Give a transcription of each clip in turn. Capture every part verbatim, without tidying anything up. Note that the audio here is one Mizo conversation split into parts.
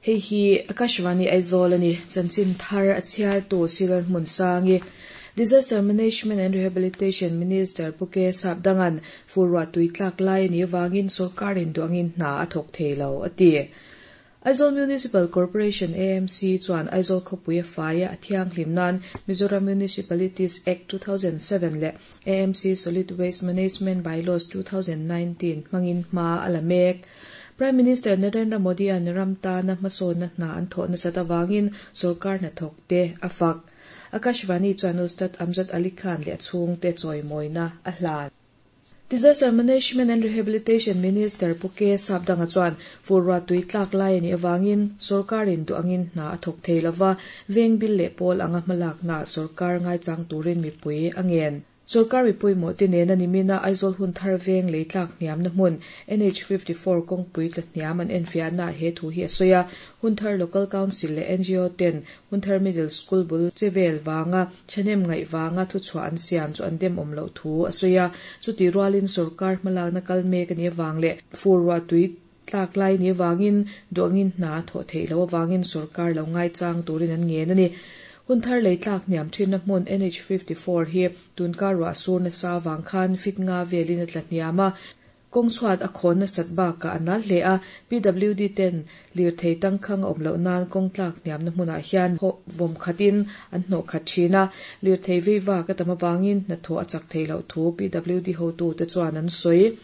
Hei hi Akashvani Aizawl ani chanchin thar a chhiar tu Silan hmun sangi Disaster Management and Rehabilitation Minister Puke Sapdangan furwa tuitlak lai ni wangin sarkarin duangin hna a thawk theilo ati. Aizawl Municipal Corporation A M C chuan Aizawl khawpui faia a thianghlim nan Mizoram Municipalities Act two thousand seven leh A M C Solid Waste Management Bylaws two thousand nineteen hmangin hma a la mek. Prime Minister Narendra Modi an ramta na hmasawn na hna an thawh nasat awangin sarkar hnathawk te a fak. Akashvani chuan Ustad Amjad Ali Khan leh a chhung te chawimawina a hlan. Disaster Management and Rehabilitation Minister Puke Sapdanga chuan furwa tuitlak lai ani awangin sarkarin duangin hna a thawk thei lova veng bil leh pawl anga hmalak na sarkar ngai chang turin mipui angen. Sarkar mipui mo te nena nimina Aizawl hun thar veng leitlak hniam na hmun N H fifty-four kawngpui tla hniam an enfiah na he thu hi a sawi a. Hunthar Local Council leh N G O ten Hunthar Middle School bul chevel wanga thenem ngai wanga thu chhuah an siam chu an dem awm loh thu a sawi a. Chuti rualin sarkar hmalak na kal mek ani awang leh furwa tui tlak lai ni wangin duangin hna thaw thei lo awangin sarkar lo ngai chang turin an ngen ani. Hunthar leitlak hniam thin na hmun N H fifty-four hi tunkar ruah sur na sa wang khan fit nga velin a tla hniam a. Kawng chhuat a khawn na sat bakah a nal hle a. P W D ten lir thei tangkhang a awm loh nan kawng tlak hniam na hmunah hian vawm khatin an hnawh khat thin a. Lir thei vei vak a tam awangin hnathawh a chak thei loh thu P W D hotu te chuan an sawi.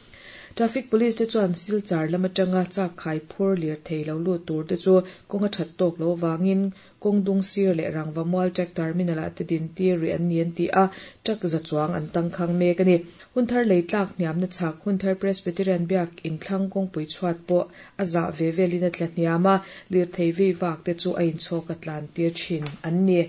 Traffic Police te chuan Silchar lam atanga chak khai phur lir thei lo lut tur te chu kawng a that tawk lo wangin kawng dung sir leh rangva mual truck terminal ah te din tir ri an ni an ti a. Truck za chuang an tangkhang mek ani. Hunthar leitlak hniam na chhak Hunthar Presbyterian biak inthlang kawngpui chhuat pawh a zah ve velin a tla hniam a. Lir thei vei vak te chu a inchhawk a tlan tir thin an ni.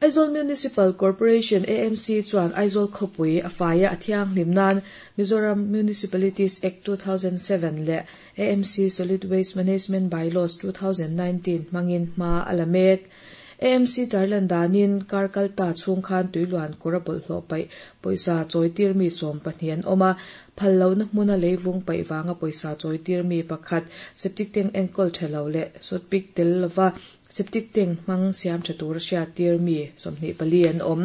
Aizawl Municipal Corporation A M C chuan Aizawl khawpui a faia a thianghlim nan Mizoram Municipalities Act two thousand seven leh A M C Solid Waste Management Bylaws two thousand nineteen hmangin hma a la mek. A M C tarlan danin kar kalta chhung khan tuiluan kawr a bawlhhlawh paih pawisa chawitir mi sawm pahnih an awm a. Phal lo na hmuna leivung paih wanga pawisa chawitir mi pakhat septic tank enkawl tha lo leh sawtpik tel lova septic tank hmang siam tha tur a hriat tir mi sawmhnih pali an awm.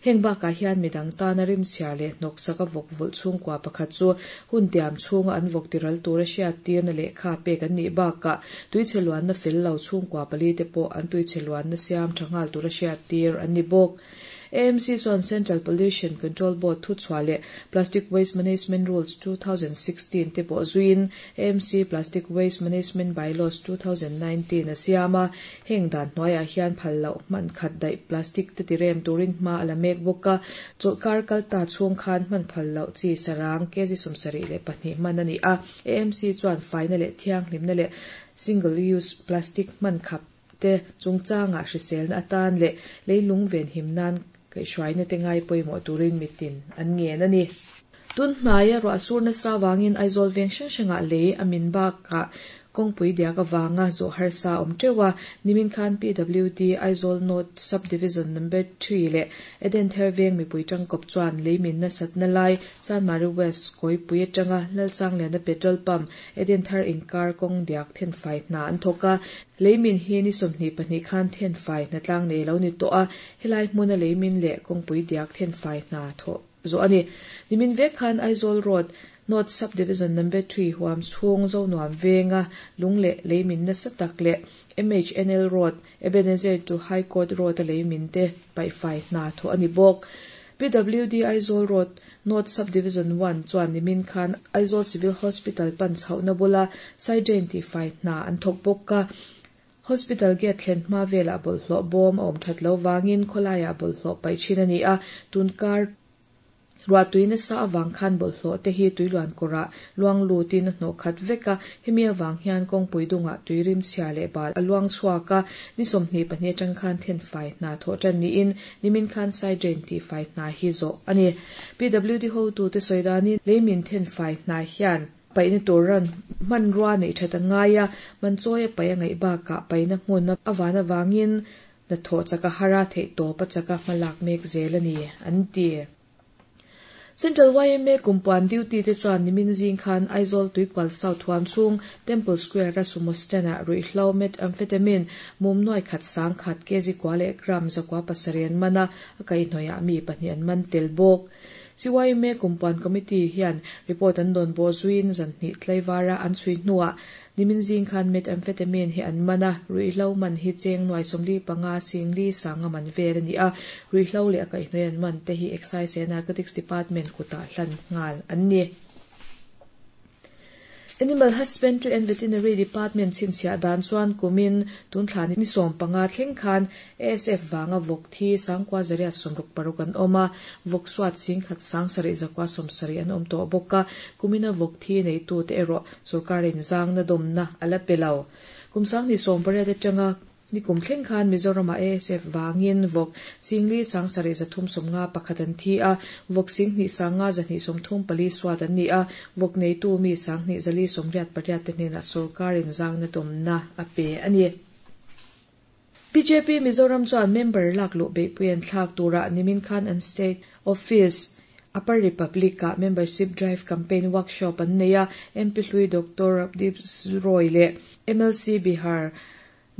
Heng bakah hian midang tana rimchhia leh hnawk saka vawk vulh chhungkua pakhat chu hun tiam chhunga an vawk tiral tur a hriat tir na lehkha pek an nih bakah tuichhe luan na fel lo chhungkua pali te pawh an tuichhe luan na siam tha nghal tur a hriat tir an ni bawk. A M C chuan Central Pollution Control Board thu chhuah leh Plastic Waste Management Rules two thousand sixteen te pawh zuiin A M C Plastic Waste Management Bylaws two thousand nineteen a siam a. Heng dan hnuaiah hian phal loh hman khat daih plastic te tirem turin hma a la mek bawk a. Chawlhkar kalta chhung khan hman phal loh chi sarang kg sawmsarih leh pahnih hman ani a. A M C chuan faina leh thianghlimna leh single use plastic hman khap te chungchanga hriselna atan leh leilung ven him nan kaihhruaina te ngai pawimawh turin mitin an ngen ani. Tun hnaia ruah sur nasa wangin Aizawl veng hrang hrangah lei a min bakah kawngpui diak awanga zawh harsa awm teuh a. Nimin khan P W D Aizawl North Subdivision number three leh Eden Thar veng mipui tangkawp chuan leimin nasat na lai Chanmari West kawipui atanga Lalchangliana petrol pump Eden Thar inkar kawng diak thenfai hna an thawk a. Leimin hi ni sawmhnih pahnih khan thenfai hna tlang nei lo ni tawh a. Helai hmuna leimin leh kawngpui diak thenfai hna thawh zawh ani. Nimin vek khan Aizawl Road North Subdivision number three huam chhung zo nuam venga lung leh leimin nasa tak leh M H N L Road Ebenezer to High Court Road a leimin te paihfai hna thawh ani bawk. P W D Aizawl Road North Subdivision one chuan nimin khan Aizawl Civil Hospital pan chhohna bula side drain ti fai hna an thawk bawk a. Hospital gate thlen hma velah bawlhhlawh bawm a awm that lo wangin khawlaiah bawlhhlawh paih thin ani a. Tunkar ruah tuina sa awang khan bawlhhlawh te hi tuiluan kawrah luang lutin a hnawh khat vek a. Hemi awang hian kawngpui dungah tuirim chhia leh bal a luang chhuak a. Ni sawmhnih pahnih atang khan thenfai hna thawh tan niin nimin khan side drain ti fai hna hi zawh ani. P W D hotu te sawi danin leimin thenfai hna hian paihna turan hman rua nei that a ngai a. Man chawi a paih a ngaih bakah paihna hmun awan awangin hnathawh chaka hara theih tawp a chaka hmalak mek zel ani an ti. Central Y M A kumpuan duty te chuan nimin zing khan Aizawl Tuikual South huam chhung Temple Square a Sumo stand ah ruihhlo methamphetamine mum nuai khat sang khat kg kua leh gram zakua pasarih an man a, a kaihhnawih ah mi pahnih an man tel bawk. C Y M A kumpuan committee hian report an dawn bawh zuiin zan hnih tlaivara an chhui hnuah nimin zing khan methamphetamine hi an man a, ruihhlo man hi cheng nuai sawmli panga singli sanga man vel a ni a, ruihhlo leh a kaihhnawih an man te hi Excise and Narcotics Department kutah hlan nghal an ni. Animal Husbandry and Veterinary Department chhinchhiah dan chuan kumin tun thla ni sawm panga thleng khan A S F vanga vawk thi sangkua zariat sawmruk paruk an awm a, vawk suat singkhat sang sarih zakua sawmsarih an awm tawh bawk a, kumina vawk thi neitu te erawh sorkarin zangna dawmna a la pe lo. Kum sanghnih sawm pariat atanga nikum thleng khan Mizoram ah A S F vangin vawk singli sang sarih zathum sawmnga pakhat an thi a, vawk singhnih sanga zahnih sawmthum pali suat an ni a, vawk neitu mi sanghnih zali sawmriat pariat te hnenah sorkarin zangna dawmna a pe a ni. B J P Mizoram chuan member lak luh beihpui an thlak turah nimin khan an state office Upper Republic ah membership drive campaign workshop an nei a, M P hlui Doctor Raghudeep Roy leh M L C Bihar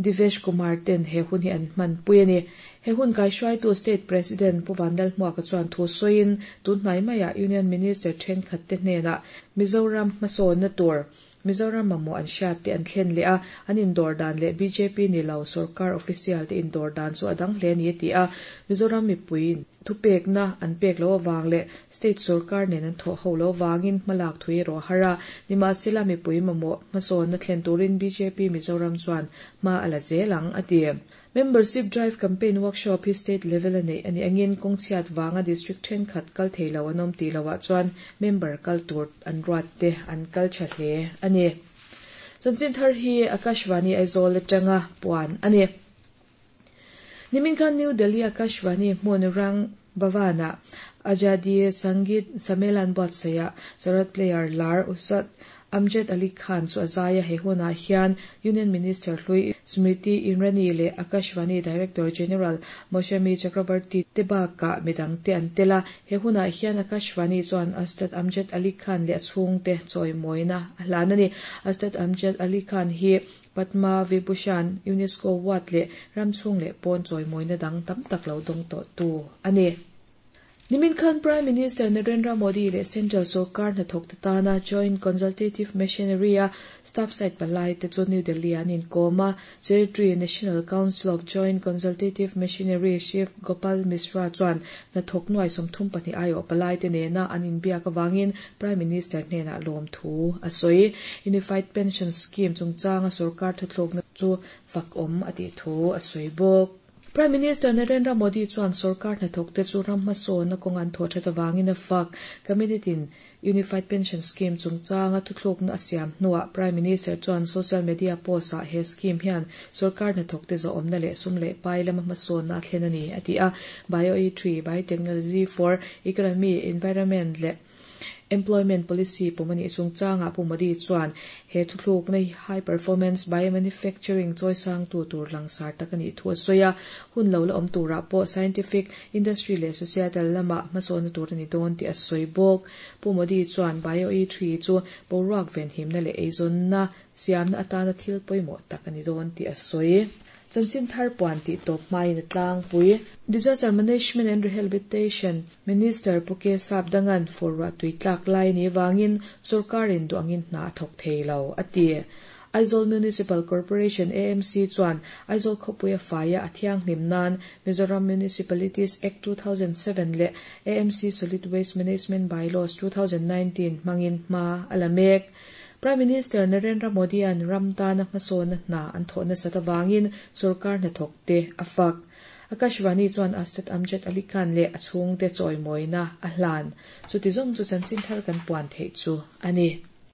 Divesh Kumar ten he hun hi an hman pui a ni. He hun kaihruaitu State President Pu Vanlalhmuaka chuan thu sawiin tun hnai maiah Union Minister thenkhat te hnenah Mizoram hmasawnna tur Mizoram mamawh an hriat te an thlen leh a, an indawr dan leh B J P ni lo sorkar official te indawr dan chu a dang hle a ni a ti a, Mizoram mipuiin thupekna an pek lo awang leh state sorkar nen an thawh ho lo wangin hmalak thui erawh a har a, nimahsela mipui mamawh hmasawnna thlen turin B J P Mizoram chuan hma a la zel ang a ti. Membership drive campaign workshop hi state level a neih ani angin kawngchhiat wanga district thenkhat kal theilo an awm tih lohah chuan member kal tur an ruat te an kal tha hle a ni. Chanchin thar hi Akashvani Aizawl atanga puan a ni. Nimin khan New Delhi Akashvani hmun Rang Bhawana Azadi Sangeet Sammelan buatsaihah Sarod player lar Ustad Amjad Ali Khan chu a zai a, he hunah hian Union Minister hlui Smriti Irani leh Akashvani Director General Moushumi Chakraborty te bakah midang te an tel a, he hunah hian Akashvani chuan Ustad Amjad Ali Khan leh a chhung te chawimawina a hlan a ni. Ustad Amjad Ali Khan hi Padma Vibhushan, UNESCO Award leh ramchhung leh pawn chawimawina dang tam tak lo dawng tawh tu a ni. Nimin khan Prime Minister Narendra Modi leh Central Sarkar hnathawk te tana Joint Consultative Machinery a staff side palai te chu New Delhi an inkawm a, Secretary National Council of Joint Consultative Machinery Shiv Gopal Mishra chuan hnathawk nuai sawmthum pahnih aiawh palai te nena an inbiak awangin Prime Minister hnenah lawm thu a sawi. Unified Pension Scheme chungchanga sarkar thuthlukna chu fak awm a tih thu a sawi bawk. Prime Minister Narendra Modi chuan sarkar hnathawk te chu ram hmasawnna kawng an thawh that awangin a fak. Cabinet in Unified Pension Scheme chungchanga thuthlukna a siam hnuah Prime Minister chuan social media post ah he scheme hian sarkar hnathawk te zawhawmna leh sum leh pai lama hmasawnna a thlen a ni a ti a, Bio E three Biotechnology for Economy, Environment leh Employment Policy pawm ani chungchanga Pu Modi chuan he thuthlukna high performance biomanufacturing chawisang tu tur langsar tak ani thu a sawi a, hun lo la awm turah pawh scientific, industry leh societal lama hmasawnna tur ani dawn tih a sawi bawk. Pu Modi chuan Bio E three chu boruak venhimna leh eizawnna siamna atana thil pawimawh tak ani dawn tih a sawi. Chanchin thar puan tih tawp hmain a tlangpui. Disaster Management and Rehabilitation Minister Pu K Sapdangan fur tui tlak lai ni wangin sarkarin duangin hna thawk theilo a ti. Aizawl Municipal Corporation A M C chuan Aizawl khawpui a faia a thianghlim nan Mizoram Municipalities Act two thousand seven leh A M C Solid Waste Management Bylaws twenty nineteen hmangin hma a la mek. Prime Minister Narendra Modi an ram tana hmasawnna hna an thawhna sat awangin sarkar hnathawk te a fak. Akashvani chuan Ustad Amjad Ali Khan leh a chhung te chawimawina a hlan. Chuti zawng chu chanchin thar kan puan theih chu a ni.